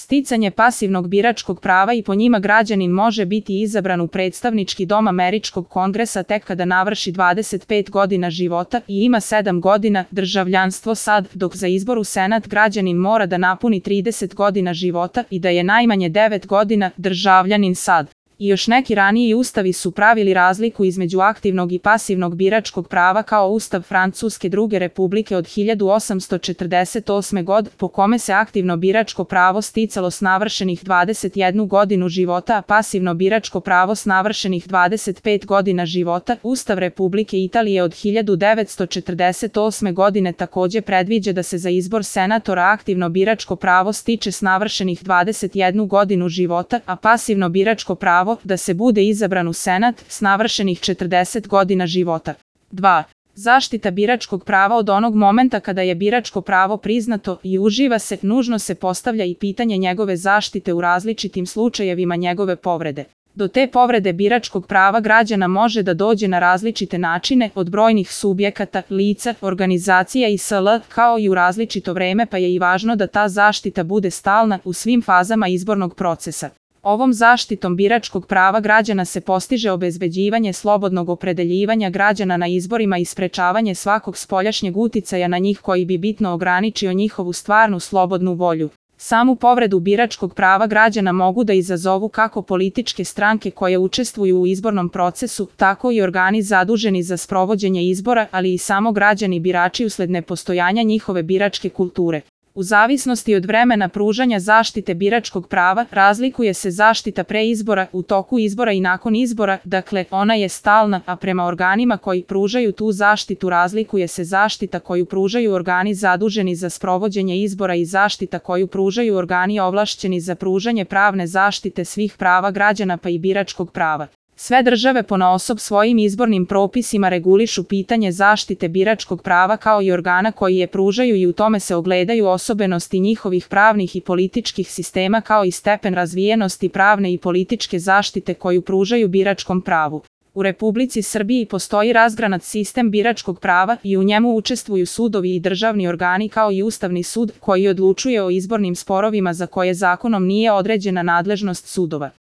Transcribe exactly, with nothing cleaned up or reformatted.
Sticanje pasivnog biračkog prava i po njima građanin može biti izabran u predstavnički dom Američkog kongresa tek kada navrši dvadeset pet godina života i ima sedam godina državljanstvo sad, dok za izbor u Senat građanin mora da napuni trideset godina života i da je najmanje devet godina državljanin sad. I još neki raniji ustavi su pravili razliku između aktivnog i pasivnog biračkog prava, kao Ustav Francuske druge republike od hiljadu osamsto četrdeset osme. godine, po kome se aktivno biračko pravo sticalo s navršenih dvadeset jednu godinu života, a pasivno biračko pravo s navršenih dvadeset pet godina života. Ustav Republike Italije od hiljadu devetsto četrdeset osme. godine takođe predviđa da se za izbor senatora aktivno biračko pravo stiče s navršenih dvadeset jednu godinu života, a pasivno biračko pravo da se bude izabran u Senat s navršenih četrdeset godina života. dva. Zaštita biračkog prava. Od onog momenta kada je biračko pravo priznato i uživa se, nužno se postavlja i pitanje njegove zaštite u različitim slučajevima njegove povrede. Do te povrede biračkog prava građana može da dođe na različite načine, od brojnih subjekata, lica, organizacija i sl., kao i u različito vreme, pa je i važno da ta zaštita bude stalna u svim fazama izbornog procesa. Ovom zaštitom biračkog prava građana se postiže obezbeđivanje slobodnog opredeljivanja građana na izborima i sprečavanje svakog spoljašnjeg uticaja na njih koji bi bitno ograničio njihovu stvarnu slobodnu volju. Samu povredu biračkog prava građana mogu da izazovu kako političke stranke koje učestvuju u izbornom procesu, tako i organi zaduženi za sprovođenje izbora, ali i samo građani birači usled nepostojanja njihove biračke kulture. U zavisnosti od vremena pružanja zaštite biračkog prava, razlikuje se zaštita pre izbora, u toku izbora i nakon izbora, dakle, ona je stalna, a prema organima koji pružaju tu zaštitu razlikuje se zaštita koju pružaju organi zaduženi za sprovođenje izbora i zaštita koju pružaju organi ovlašćeni za pružanje pravne zaštite svih prava građana pa i biračkog prava. Sve države ponaosob svojim izbornim propisima regulišu pitanje zaštite biračkog prava kao i organa koji je pružaju i u tome se ogledaju osobenosti njihovih pravnih i političkih sistema kao i stepen razvijenosti pravne i političke zaštite koju pružaju biračkom pravu. U Republici Srbiji postoji razgranat sistem biračkog prava i u njemu učestvuju sudovi i državni organi kao i Ustavni sud koji odlučuje o izbornim sporovima za koje zakonom nije određena nadležnost sudova.